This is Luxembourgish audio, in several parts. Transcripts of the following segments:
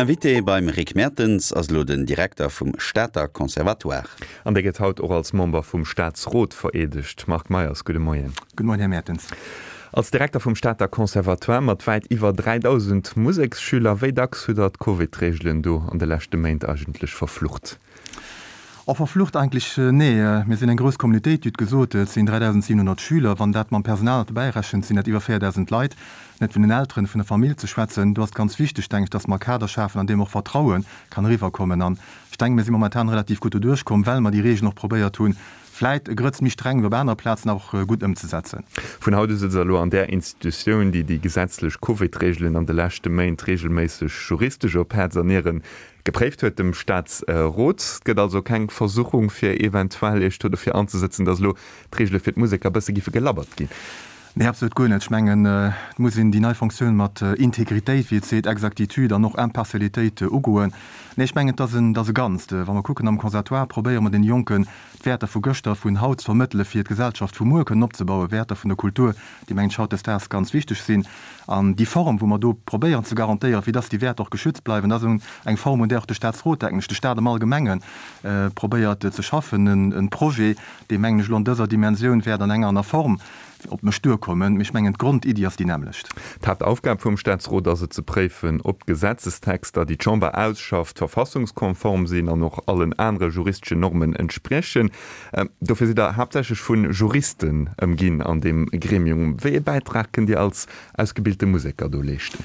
Invité beim Rick Mertens ass elo den Direkter vum Stater Conservatoire. An dee gëtt haut och als Member vum Staatsrot vereedegt. Marc Meyers, gudde Moien. Gudde Moien, Här Mertens. Als Direkter vum Stater Conservatoire mat wäit iwwer 3.000 Museksschüler, wéi dacks hutt Der d'Covid-Reegelen do an de leschte Méint eigentlech verflucht? Oh, verflucht eigentlech, nee. Mir sinn eng grouss Communautéit, Dir hutt gesot, et sinn 3.700 Schüler. Wann dat mam Personal nach dobäi rechent, sinn dat iwwer 4.000 Leit. Net vun den Elteren, vun der Famill ze schwätzen. Do ass et ganz wichteg, denken ech, dass mer e Kader schafen, an deem och Vertraue kann eriwwerkommen. An ech denken, mir si momentan relativ gutt doduerch komm, well mer déi Regeln och probéiert hunn, vläit e Grëtz méi streng wéi op anere Plazen, awer och gutt ëmzesetzen. Vun haut u sëtzt Der elo an där Institutioun, déi déi gesetzlech Covid-Regeln an de leschte Méint regelméisseg juristesch op Häerz an Nieren Gepréift huet, dem Staatsrot. Et gëtt also keng Versuchung, fir eventuell Iech do dofir anzesëtzen, datt elo d'Reegele fir d'Museker e bësse giffe gelabbert ginn? Nee, absolut guer net. Ech mengen, et muss een déi nei Fonctioun mat Integritéit, wéi et seet, Exactitude an och Impartialitéit ugoen. Nee, ech mengen, et ass en, et ass e Ganzt. Wa mer kucken, am Conservatoire probéiere mer deene Jonken d'Wäerter vu gëschter, vun haut ze vermëttelen, fir d'Gesellschaft vu muer kënnen opzebauen, Wäerter vun der Kultur, déi, mengen ech, hautdesdaags ganz wichteg sinn. An déi Form, wou mer do probéieren ze garantéieren, fir dass déi Wäerter och geschützt bleiwen, dat ass eng Form, un där och de Statsrot, denken ech, de Stat am Allgemenge probéiert ze schaffen. E Projet, dee, mengen ech, elo an dëser Dimensioun wäert an enger aner Form op mech duerkommen, mee ech mengen, d'Grondiddi ass déi nämmlecht. D'Haaptaufgab vum Statsrot ass et ze préifen, ob d'Gesetzestexter, déi d'Chamber ausschafft, verfassungskonform sinn an och allen anere juristeschen Normen entspriechen. Dofir sidd Der haaptsächlech vu Juristen ëmginn an deem Gremium. Wéi ee Bäitrag kënnt Dir als ausgebilte Museker do leeschten?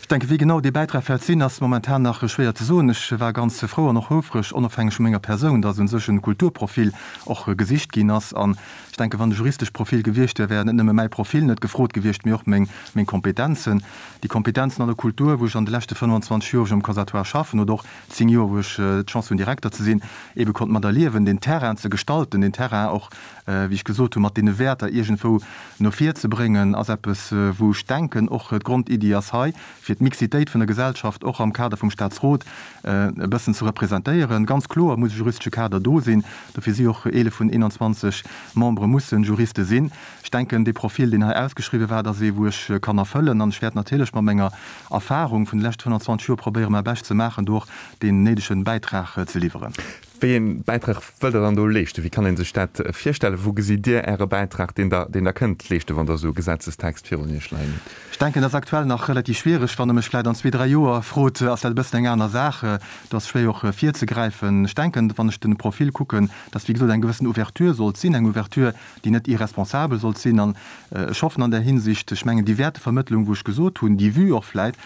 Ech denken, wéi genau dee Bäitrag wäert sinn, ass momentan nach schwéier ze soen. Ech war ganz frou an och houfreg, onofhängeg vu menger Persoun, dass u sech e Kulturprofil och gesicht ginn ass. An ech denken, wann e juristesch Profil gewiescht wär, wär net nëmme mäi Profil net gefrot gewiescht, mee och meng Kompetenzen. Déi Kompetenzen an der Kultur, wou ech an de leschte 25 Joer, wou ech am Conservatoire schaffen, oder och 10 Joer, wou ech d'Chance hunn Direkter ze sinn, ebe konnt mat erliewen, den Terrain ze gestalten, den Terrain och, wéi ech gesot hunn, mat deene Wäerter iergendwou no vir ze bréngen, ass eppes, wou ech denken, och d'Grondiddi ass hei, fir d'Mixitéit vun der Gesellschaft och am Kader vum Statsrot e bëssen ze representéieren. Ganz kloer muss e juristesche Kader do sinn, dofir si och 11 vun 21 Membere musse Juriste sinn. Ech denken, dee Profil, deen hei ausgeschriwwen war, dat ass ee, wou ech kann erfëllen. An ech wäert natierlech mat menger Erfahrung vun de leschte 25 Joer probéieren, mäi Bescht ze maachen, do och deen néidege Bäitrag ze liwweren. Wéi ee Bäitrag wëllt Der dann do leeschten? Wéi kann ee sech dat virstellen? Wou gesitt Dir Äre Bäitrag, deen Der, deen Der kënnt leeschten, wann Der esou e Gesetzestext virun Iech leien hutt? Ech denken, dat ass aktuell nach relativ schwiereg. Wann Der mech vläicht an zwee, dräi Joer frot, ass dat e bëssen eng aner Saach. Do ass schwéier och virzegräifen. Ech denken, wann ech de Profil kucken, dass, wéi gesot, eng gewëssen Ouverture sollt sinn, eng Ouverture, déi net irresponsabel sollt sinn. An ech hoffen an där Hinsicht, ech mengen déi Wäertevermëttlung, wou ech gesot hunn, déi Vue och vläit,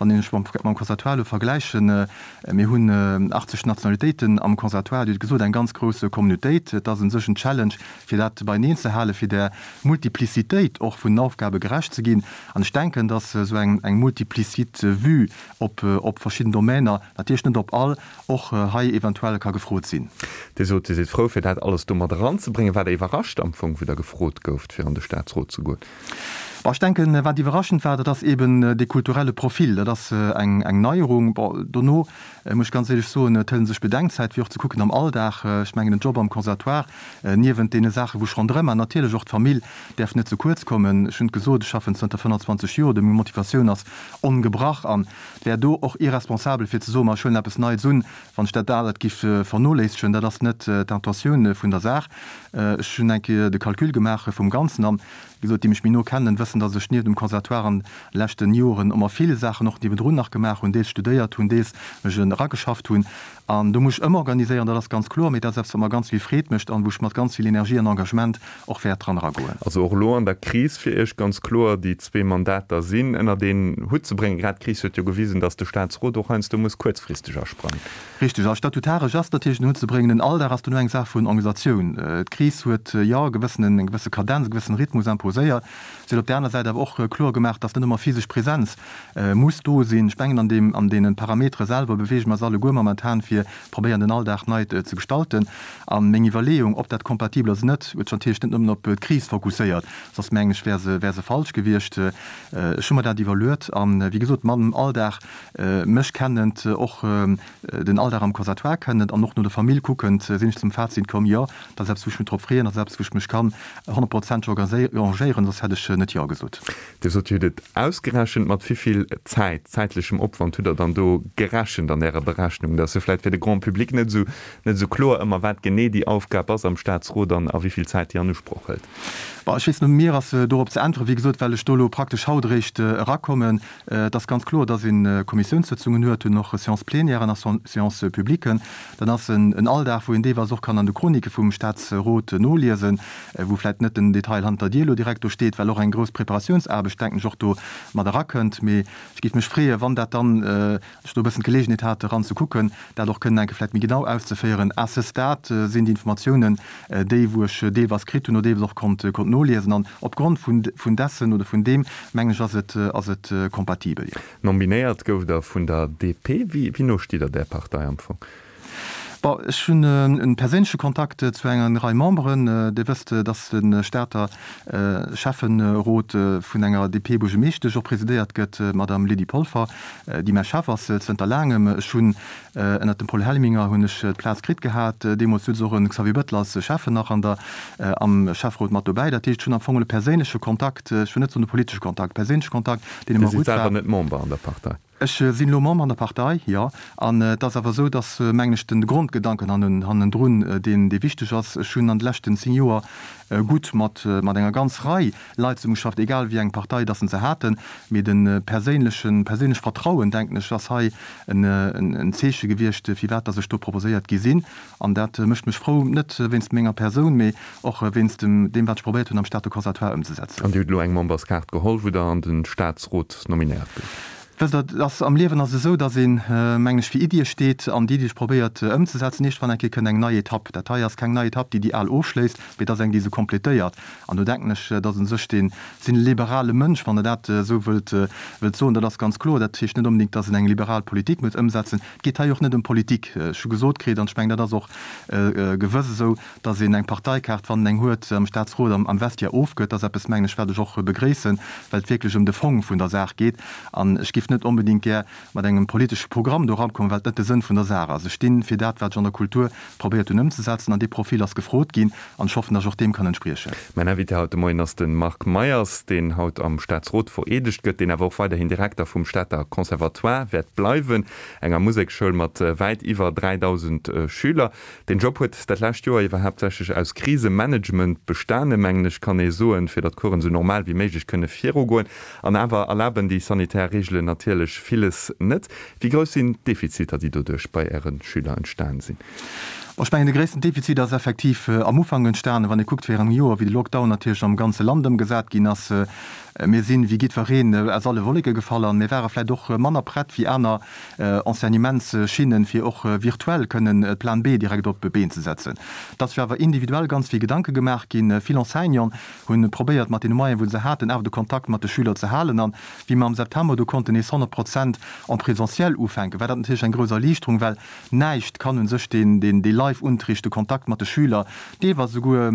wann een ech mam Conservatoire elo vergläichen, mir hunn 80 Nationalitéiten am Conservatoire, Dir hutt gesot, eng ganz grouss Communautéit, et ass u sech en Challenge, fir dat beieneen ze halen, fir där Multiplicitéit och vun den Aufgabe gerecht ze ginn. An ech denken, datt esou eng multiplicite Vue op verschidden Domäner, natierlech net op all, och hei eventuell ka gefrot sinn. Dir sot, Dir sidd frou, fir dat alles do mat eranzebréngen. Waart Der iwwerrascht am Fong, wou Der gefrot gouft, fir an de Staatsrot ze goen? Bon, ech denken, wat iwwerraschend war, dat ass eeben dee kulturelle Profil. Dat ass eng Neierung. Bon, dono muss ech ganz éierlech soen, et hëlt ee sech Bedenkzäit, fir och ze kucken am Alldag. Ech mengen, en Job am Conservatoire, niewent deene Saachen, wou ech ronderëm man, natierlech och d'Famill däerf net ze kuerz kommen. Ech hunn et gesot, ech schaffen zënter 25 Joer do, meng Motivatioun ass ongebrach an Et wär do och irresponsabel fir ze soen, ma ech huelen eppes Neits un, wann ech dat Alet giff vernoléissegen. Dat ass net d'Intentioun vun der Saach. Ech hunn eng Kéier de Calcul gemaach vum Ganzen an, wéi gesot, déi mech méi no kennen, wëssen, datt ech nieft dem Conservatoire an de leschten Joren ëmmer vill Saachen och niewendrun nach gemaach hunn, deels studéiert hunn, deels mech erageschafft hunn. An do muss ech ëmorganiséieren, dat ass ganz kloer, mee dat ass eppes, wat mer ganz vill Freed mécht an wou ech mat ganz vill Energie an Engagement och wäert dran eragoen. Also och elo an der Kris fir Iech ganz kloer, déi zwee Mandater sinn ënnert een Hutt ze bréngen. Grad d'Kris huet jo gewisen, datt de Staatsrot och heiansdo muss kuerzfristeg asprangen. Richteg. Also statutaresch ass natierlech den Hutt ze bréngen. Den Alldag ass duerno eng Saach vun Organisatioun. D'Kris huet, jo, e gewëssenen, eng gewësse Kadenz, e gewëssen Rhythmus imposéiert. Si huet op där aner Säit awer och kloer gemaach, datt net ëmmer physesch Präsenz muss do sinn. Ech mengen, an deem, an deene Parametere selwer beweege mer eis alleguer momentan, fir. fir probéieren den Alldag nei ze gestalten. A meng Iwwerleeung, ob dat kompatibel ass oder net, huet sech natierlech net nëmmen op d'Kris fokusséiert, soss mengen ech wär se wär se falsch gewiescht. Ech hu mer dat iwwerluet an, wéi gesot, mam Alldag mech kennend, och den Alldag am Conservatoire kennend an och no der Famill kuckend, sinn ech zum Fazit komm, jo, dat ass eppes wou ech mech drop freeën, dat ass eppes wou ech mech kann honnertprozenteg engagéieren, soss hätt ech net jo gesot. Dir sot, Dir hutt et ausgerechent. Mat wéi vill Zäit, zäitlechem Opwand hutt Der dann do gerechent an Ärer Berechnung? Dat ass jo vläicht fir de Grand public net esou, net esou kloer ëmmer, wat genee déi Aufgab ass am Statsrot an a wéi vill Zäit déi an Usproch hëlt. Bon, ech weess net, mir ass dorop ze äntweren, wéi gesot, well ech do elo praktesch haut eréischt erakommen. Et ass ganz kloer, dass ee Kommissiounssëtzungen huet, hunn och Séance-plénièren a Séance-publiquen. Dat ass en Alldag, wou een deelweis och kann an de Chronike vum Statsrot noliesen, wou vläicht net den Detail hannert der Dier elo direkt do steet, well och eng grouss Preparatiounsaarbecht, denken ech, och do mat erakënnt. Mee ech géif mech freeën, wann dat dann, ech do e bëssen d'Geleegenheet hat eran ze kucken, dat och kënnen eng Kéier vläicht méi genau auszeféieren. À ce stade sinn déi Informatiounen déi, wou ech deelweis kritt hunn oder deelweis och konnt noliesen. An opgrond vun dessen oder vun deem, mengen ech, ass et, ass et kompatibel, jo. Nominéiert gouft Der vun der DP. Wéi no stitt Der där Partei am Fong? Bon, ech hunn e perséinleche Kontakt zu enger Rei Memberen. Dir wësst, datt de Stater Schäfferot vun enger DP-Buergermeeschtesch och presidéiert gëtt, d'Madame Lydie Polfer, déi mäi Chef ass zënter laangem. Ech hunn ënnert dem Paul Helminger hunn ech d'Plaz kritt gehat. Deemools souz och e Xavier Bettel als Schäffen nach an der, am Schäfferot mat dobäi. Dat heescht, ech hunn am Fong e perséinleche Kontakt, ech wëll net soen e politesche Kontakt, perséinleche Kontakt, deen ëmmer gutt war. Dir sidd selwer net Member an der Partei? Ech sinn elo Member an der Partei, jo. An et ass awer esou, dass, mengen ech, den Grondgedanken hannendrun deen, dee wichteg ass. Ech hunn an de leschten 10 Joer gutt mat mat enger ganz Rei Leit zesummegeschafft, egal wéi eng Partei dass se haten. Mee de perséinlechen, perséinlech Vertrauen, denken ech, ass hei en Zeeche gewiescht, firwat dass ech do proposéiert gi sinn. An dat mécht mech frou, net wéinst menger Persoun, mee och wéinst deem, wat ech probéiert hunn am Stater Conservatoire ëmzesetzen. An Dir hutt elo eng Memberskaart geholl, wou Der an de Staatsrot nominéiert gouft. Wësst Der, et ass am Liewen ass et esou, datt een, mengen ech, fir Iddie steet an déi, déi ech probéiert ëmzesetzen. Iergendwann eng Kéier kënnt eng nei Etapp. Dat hei ass keng nei Etapp, déi déi al ofschléisst, mee et ass eng, déi se complétéiert. An do denken ech, datt u sech dee sinn e liberale Mënsch, wann Der dat esou wëllt soen, dat ass ganz kloer. Dat heescht net onbedéngt, datt een eng liberal Politik muss ëmsetzen. Et geet hei och net ëm Politik. Ech hu gesot kritt, an ech mengen, dat ass och gewëss esou, datt een eng Parteikaart, wann en eng huet, am Staatsrot am Vestiaire ofgëtt. Dat ass eppes, mengen ech, wat ech och begréissen, well et wierklech ëm de Fong vun der Saach geet. An ech géif net onbedéngt gär mat engem politesche Programm do erankommen, well et net de Sënn vun der Saach ass. Ech sti fir dat, wat ech an der Kultur probéiert hunn ëmzesetzen, an dee Profil ass gefrot ginn, an ech hoffen, datt ech och deem kann entspriechen. Mäin Invité haut de Moien ass de Marc Meyers, deen haut am Staatsrot vereedegt gëtt, deen awer och weiderhin Direkter vum Stater Conservatoire wäert bleiwen, enger Musekschoul mat wäit iwwer 3.000 Schüler. Deen Job huet dat lescht Joer iwwer haaptsächlech aus Krisemanagement bestanen, mengen ech kann ee soen, fir datt d'Coursen esou normal wéi méiglech kënne virugoen. An awer erlaben déi sanitär Reegelen natierlech villes net. Wéi grouss sinn d'Defiziter, déi doduerch bei Äre Schüler entstan sinn? Bon, ech mengen, de gréissten Defizit ass effektiv am Ufank entstanen, wann ee kuckt virun engem Joer, wéi de Lockdown natierlech am ganze Land ëmgesat ginn ass. Mir sinn, wéi jiddwereen, aus alle Wolleke gefall an mir ware vläicht och manner prett wéi aner Enseignementsschinnen, fir och virtuell kënnen Plan B direkt op d'Been ze setzen. Et ass sech awer individuell ganz vill Gedanke gemaach ginn. Vill Enseignanten hunn probéiert, mat deene Moyenen, wou se haten, awer de Kontakt mat de Schüler ze halen. An wéi mer am September du konnten nees 100 Prozent en présentiel ufänken, war dat natierlech eng grouss Erliichterung, well näischt kann u sech deen dee Live-Unterricht, de Kontakt mat de Schüler, deelweis esouguer,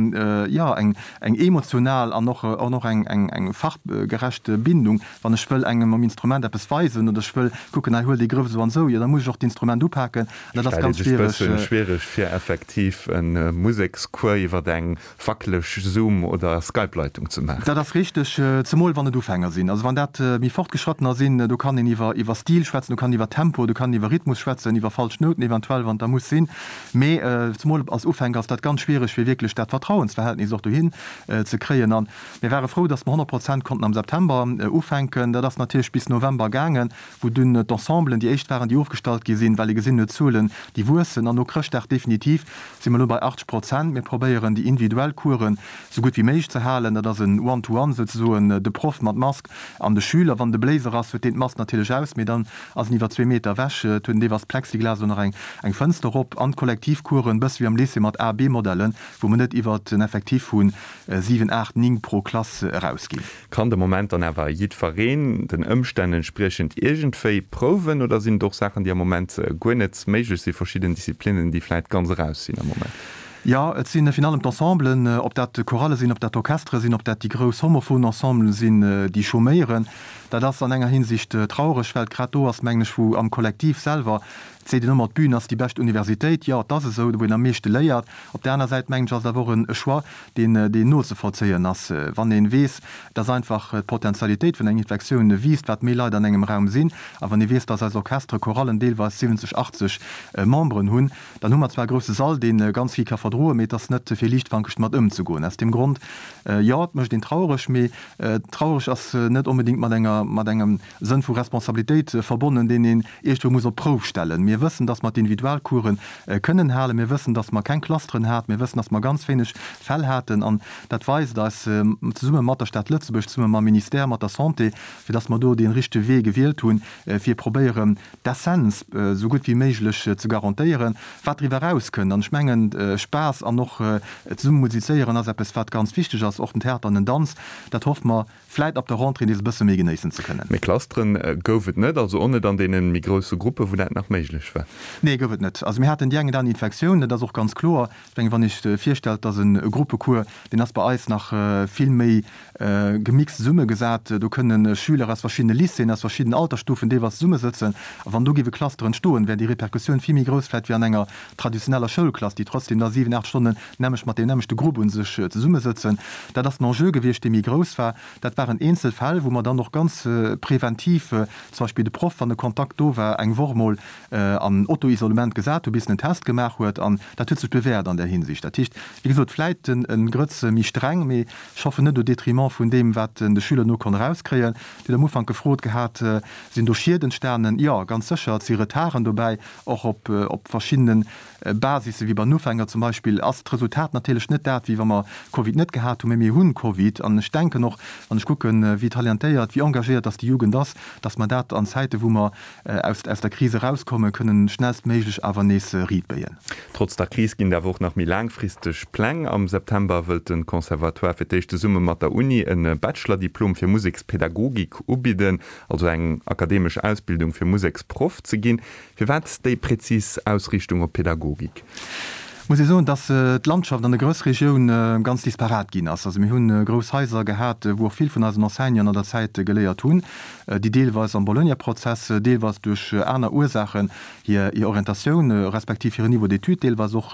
jo, eng eng emotional an och an och eng eng eng fachgerecht Bindung. Wann ech wëll engem um Instrument eppes weisen oder ech wëll kucken, hei huel dee Grëff esou an esou, jo da muss ech och d'Instrument upaken an dat ass ganz schwiereg. Stellt ee sech bëssen schwiereg fir effektiv e Musekscours iwwert eng wackeleg Zoom oder Skype-Leitung ze maachen. Dat ass richteg, zemol wann et Ufänger sinn. Also wann dat méi Fortgeschrattener sinn, do kann een iwwer iwwer Stil schwätzen, do kann een iwwer Tempo, do kann een iwwer Rhythmus schwätzen, iwwer falsch Nouten eventuell, wann et da muss sinn. Mee zemol als Ufänker ass dat ganz schwiereg, fir wierklech dat Vertrauensverhältnis och dohin ze kréien. A mir ware frou, datt mer 100 Prozent konnten am September ufänken. Dat ass natierlech bis November gaangen, wou dunn d'Ensemblen déi éischt waren, déi ofgestallt gi sinn, well ee gesinn huet, d'Zuelen, déi wuessen. An no Chrëschtdag definitiv si mer elo bei 80 Prozent. Mir probéieren, déi individuell Coursen esou gutt wéi méiglech ze halen. Dat ass en One-to-one souzesoen, de Proff mat Mask an de Schüler. Wann de Bléiser ass, huet deen d'Mask natierlech aus, mee dann ass en iwwer zwee Meter ewech. Et huet en deelweis Plexiglas oder nach eng Fënster op. An d'Kollektivcoursen, bësse wéi am Lycée mat A, B-Modellen, wou mer net iwwer en Effectif vu 7, 8, 9 pro Klass erausginn. Kann. Kann de Moment dann awer jiddwereen den Ëmstänn entspriechend iergendwéi prouwen oder sinn et och Saachen, déi am Moment guer net méiglech sinn, verschidden Disziplinnen, déi vläit ganz eraus sinn am Moment? Jo, et si virun allem d'Ensemblen, ob dat Chorale sinn, ob dat Orchestere sinn, ob dat déi grouss homophon Ensemblen sinn, déi chôméieren. Dat ass an enger Hinsicht traureg, well et grad do ass, mengen ech, wou am Kollektiv selwer, et seet een ëmmer, d'Bün ass déi bescht Universitéit. Jo, et ass esou, wou een am meeschte léiert. Op där aner Säit, mengen ech, ass et awer och e Choix, deen deen nozevollzéien ass, wann ee weess, dass einfach d'Potentialitéit vun enger Infektioun wiisst, wat méi Leit an engem Raum sinn, a wann ee weess, dass eis Orchestere, Chorallen deelweis 70, 80 Memberen hunn, dann hu mer zwar e grousse Sall, dee ganz vill ka verdroen, mee et ass net fir liichtfankeg domat ëmzegoen. Aus deem Grond, jo, et mécht een traureg, mee traureg ass net onbedéngt mat enger, mat engem Sënn vu Responsabilitéit verbonnen, deen een iergendwou muss op d'Prouf stellen. Mir wëssen, dass mer d'Individualcoursen kënnen halen. Mir wëssen, dass mer keng Clusteren haten. Mir wëssen, dass mer ganz wéineg Fäll haten. An dat weist eis, zesumme mat der Stad Lëtzebuerg, zesumme mam Ministère, mat der Santé, fir dass mer do dee richtege Wee gewielt hunn, fir probéieren, d'Essenz esou gutt wéi méiglech ze garantéieren. Wat driwwer erauskënnt, an ech mengen, Spaass an och zesumme musizéieren ass eppes, wat ganz wichteg ass, och den Theater an den Danz, dat hoffe mer, vläit ab der Rentrée nees e bësse méi genéissen ze kënnen. Mee Clusteren gouf et net, also och net an deene méi grousse Gruppen, wou dat nach méiglech war? Nee, gouf et net. Also mir haten déi eng oder aner Infektioun, dat ass och ganz kloer. Ech mengen, wann ee sech virstellt, dass e Gruppecours, deen ass bei eis nach vill méi gemixt zesummegesat, do kënne Schüler aus verschiddene Lycéeën, aus verschiddenen Altersstufen deelweis zesummesëtzen, a wann do géif e Cluster entstoen, wär déi Repercussioun vill méi grouss vläit wéi an enger traditioneller Schoulklass, déi trotzdem da 7, 8 Stonnen nämlech mat deem nämmlechte Grupp u sech zesummesëtzen. Dat ass den Enjeu gewiescht, dee méi grouss war. Dat waren eenzel Fäll, wou mer dann och ganz preventiv zum Beispill de Proff, wann e Kontakt do war, eng Woch mol an Auto-Isolement gesat hu bis en en Test gemaach huet. An dat huet sech bewährt an där Hinsicht. Dat heescht, wéi gesot, vläit e Grëtz méi streng, mee ech hoffen net au détriment vun deem, wat de Schüler no konnt erauskréien. Dir hutt am Ufank gefrot gehat, Sinn do Schied entstanen? Jo, ganz sécher, et si Retarden dobäi, och op verschiddene Basisse wéi bei den Ufänger zum Beispill ass d'Resultat natierlech net dat, wéi wa mer Covid net gehat hunn, mee mir hunn Covid. An ech denken och, wann ech kucken, wéi talentéiert, wéi engagéiert dass déi Jugend ass, dass mer dat an Zäite wou mer aus aus der Kris erauskommen, kënnen schnellstméiglech awer nees riitbéien. Trotz der Kris ginn et awer och nach méi laangfristeg Pläng. Am September wëllt de Conservatoire fir d'éischt zesumme mat der Uni e Bachelor-Diplom fir Musekspädagogik ubidden, also eng akademesch Ausbildung fir Museksproff ze ginn. Firwat déi präzis Ausriichtung op Pädagogik? Muss ee soen, dass d'Landschaft an der Groussregioun ganz disparat ginn ass. Also mir hunn grouss Haiser gehat, wou och vill vun eisen Enseignanten an der Zäit geléiert hunn, déi deelweis am Bologna-Prozess, deelweis duerch aner Ursaachen hir Orientatioun respektiv hiren Niveau d'études deelweis och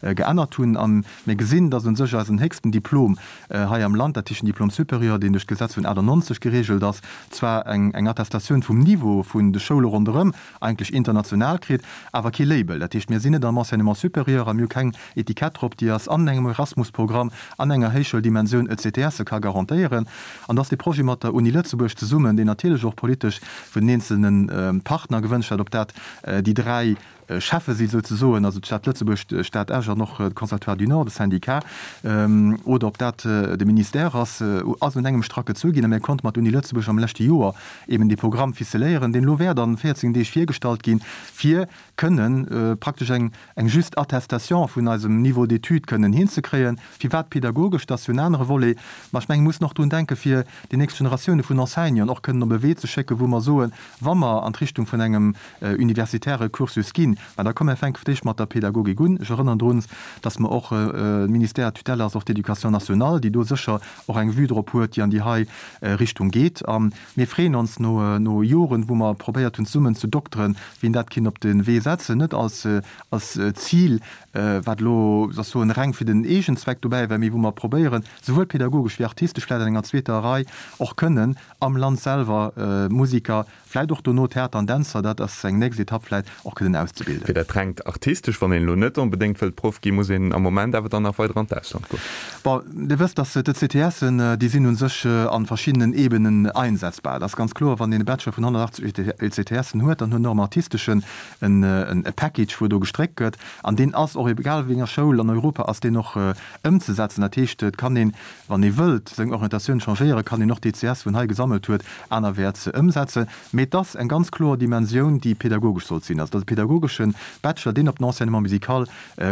geännert hunn. A mir gesinn, dass u sech eisen héchsten Diplom hei am Land, dat heescht den Diplôme supérieur, deen duerch d'Gesetz vun 98 geregelt ass, zwar eng Attestatioun vum Niveau vun de Schoule ronderëm, eigentlech international kritt, awer kee Label. Dat heescht, mir sinn net am Enseignement supérieur a mir hu keng Etikett drop, déi eis an engem Erasmus-Programm, an enger Héichschouldimensioun ECTSe ka garantéieren. An dass dee Projet mat der Uni Lëtzebuerg zesummen, deen natierlech och politesch vun den eenzelne Partner gewënscht war, ob dat déi 3 Cheffe si souzesoen, also d'Stad Lëtzebuerg, d'Stad Esch an och de Conservatoire du Nord, de Syndicat, oder ob dat de Ministère ass, ass un engem Strack gezu ginn. A mir konnte mat der Uni Lëtzebuerg am leschte Joer eben dee Programm ficeléieren, deen elo wäert an 14 Deeg virgestallt ginn, fir kënnen praktesch eng eng just Attestation vun eisem Niveau d'études kënnen hinzekréien. Firwat pedagogesch, dat ass jo en anere Volet, ma ech mengen, mir mussen och drun denken, fir déi nächst Generatioune vun Enseignanten och kënnen op e Wee ze schécken, wou mer soen, wa mer an d'Richtung vun engem universitäre Cursus ginn, mä da komme mer fänke fir d'éischt mat der Pädagogik un. Ech erënnern drun, dass mer och, de Ministère à tutelle ass och d'Éducation nationale, déi do sécher och eng Vue drop huet, déi an déi hei Richtung geet. A mir freeën ons no no Joren, wou mer probéiert hunn zesummen ze dokteren, wien dat kinnt op de Wee setzen, net als als Zil, wat elo soll ech soen, reng fir den Eegenzweck dobäi war, mee wou mer probéieren, souwuel pädagogesch wéi artistesch vläicht an enger zweeter Rei och kënnen am Land selwer Musiker Vläit och dono Theater an Dänzer, dat ass eng nächst Etapp vläit, och kënnen auszebilden. Fir dat rengt Artistesch, wann een elo net onbedéngt wëllt Proff ginn, muss een am Moment awer dann nach weider an d'Ausland goen. Bon, Dir wësst, dass d'ECTSen, déi sinn u sech a verschiddenen Ebenen einsetzbar. Et ass ganz kloer, wann een e Bachelor vun 180 ECTSen huet, dann huet en och am Artisteschen e Package, wou do gestréckt gëtt. An deen ass och, egal wéi enger Schoul an Europa, ass deen och ëmzesetzen. Dat heescht, et kann een, wann ee wëllt seng Orientatioun changéieren, kann een och d'ECS, wou en hei gesammelt huet, anerwäerts ëmsetzen. Mee et ass eng ganz kloer Dimensioun, déi pedagogesch sollt sinn. Also et ass e pedagogesche. pedagogesche Bachelor, deen op den Enseignement musical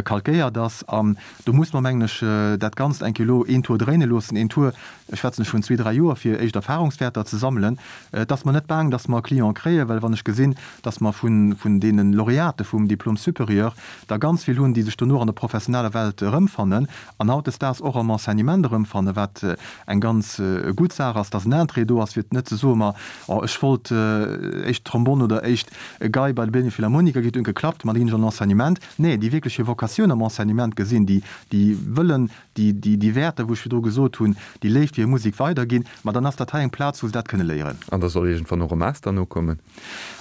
calquéiert ass. An do muss mer, mengen ech, dat Ganzt eng Kéier elo een Tour dréine loossen, een Tour, ech schwätzen ech vun zwee, dräi Joer, fir éischt Erfahrungswäerter ze sammelen. Et ass mer net baang, dass mer Cliente kréien, well wann ech gesinn, dass mer vun, vun deene Laureate vum Diplôme supérieur der ganz vill hunn, déi sech dono an der professioneller Welt erëmfannen an hautdesdaags och am Enseignement erëmfannen, wat eng ganz gutt Saach ass, dass en Interêt do ass, fir net ze soen, ma oh, ech wollt éischt Trombonn oder éischt Gei bei de Berliner Philharmoniker, huet geklappt, ma da ginn ech an den Enseignement. Nee, déi wierklech hir Vocatioun am Enseignement gesinn, déi, déi wëllen déi, déi, déi Wäerter, wou ech virdru gesot hunn, déi Léift fir hir Musek weiderginn, ma dann ass dat hei eng Plaz, wou se dat kënne léieren. An da soll iergendwann och e Master nokommen?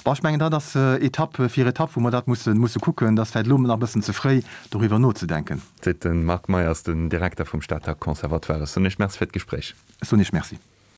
Bon, ech mengen, dat ass Etapp fir Etapp, wou mer dat musse, musse kucken. Dat ass vläicht elo nach e bëssen ze fréi, doriwwer nozedenken. Seet de Marc Meyers, den Direkter vum Stater Conservatoire. Ech soen Iech Merci fir d'Gespréich. Ech soen Iech Merci.